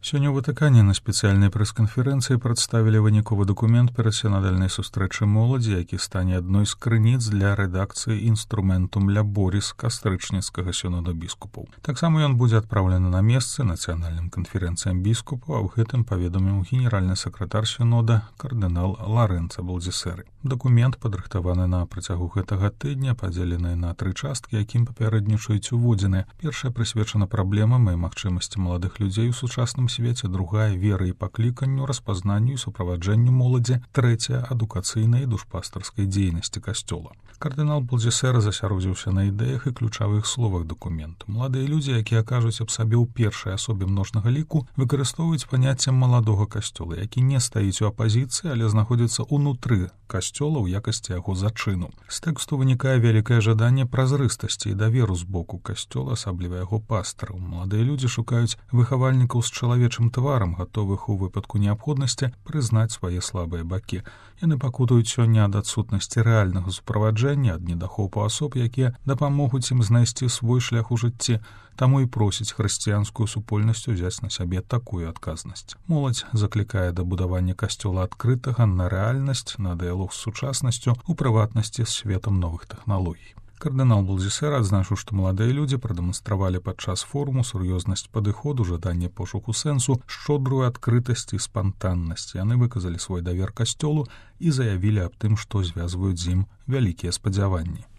Сёння ў Ватыкане на спецыяльнай прэс-канферэнцыі прадставілі выніковы дакумент перад сінадальнай сустрэчы моладзі, які стане адной з крыніц для рэдакцыі інструментум ляборіс кастрычніцкага сінода біскупаў. Таксама ён будзе адпраўлены на месцы нацыянальным канферэнцыям біскупаў, а ў гэтым паведаміў генеральны сакратар сінода кардынал Ларэнца Балдзісэры. Дакумент падрыхтаваны на працягу гэтага тыдня, падзелены на 3 часткі, якім папярэднічаюць уводзіны. Першая прысвечана праблемам і магчымасці маладых людзей у сучасным свеце, другая веры і пакліканню, распазнанню і суправаджэнню моладзі, трэцяя адукацыйнай і душпастарскай дзейнасці касцёла. Кардынал Балдзісэра засяродзіўся на ідэях і ключавых словах дакументу. Маладыя людзі, якія кажуць аб сабе ў першай асобе множнага ліку, выкарыстоўваюць паняцце маладога касцёла, які не стаіць у апазіцыі, але знаходзіцца ўнутры касцёла ў якасці яго зачыну. З тэксту вынікае вялікае жаданне празрыстасці і даверу з боку касцёла, асабліва яго пастараў. Маладыя людзі шукаюць выхавальнікаў з чалавечым тварам, гатовых у выпадку неабходнасці прызнаць свае слабыя бакі. Яны пакутуюць сёння ад адсутнасці рэальнага суправаджэння, ад недахопу асоб, якія дапамогуць ім знайсці свой шлях у жыцці, таму і просіць хрысціянскую супольнасць узяць на сябе такую адказнасць. Моладзь заклікае да будавання касцёла адкрытага на рэальнасць, на дыялог з сучаснасцю, у прыватнасці з светам новых тэхналогій. Кардынал Балдзісэра адзначыў, што маладыя людзі прадэманстравалі падчас форуму сур'ёзнасць падыходу, жаданне пошуку сэнсу, шчодрую адкрытасць і спантаннасць. Яны выказалі свой давер касцёлу і заявілі аб тым, што звязваюць з ім вялікія спадзяванні.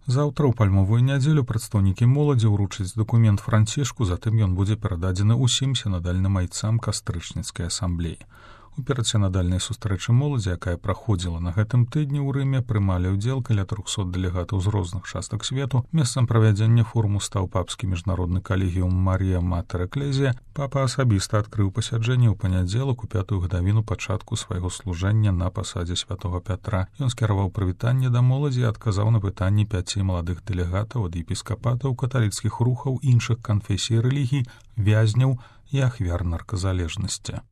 Заўтра ў пальмовую нядзелю прадстаўнікі моладзі ўручаць дакумент Францішку, затым ён будзе перададзены ўсім сінадальным айцам кастрычніцкай асамблеі. У перадсінадальнай сустрэчы моладзі, якая праходзіла на гэтым тыдні ў Рыме, прымалі ўдзел каля 300 дэлегатаў з розных частак свету. Месцам правядзення форуму стаў папскі міжнародны калегіум Марія Матер Эклезія. Папа асабіста адкрыў пасяджэнне ў панядзелак у 5-ю гадавіну пачатку свайго служэння на пасадзе святога Пятра. Ён скіраваў прывітанне да моладзі і адказаў на пытанні 5 маладых дэлегатаў ад епіскапатаў, каталіцкіх рухаў, іншых канфесій і рэлігій, вязняў і ахвяр нарказалежнасці.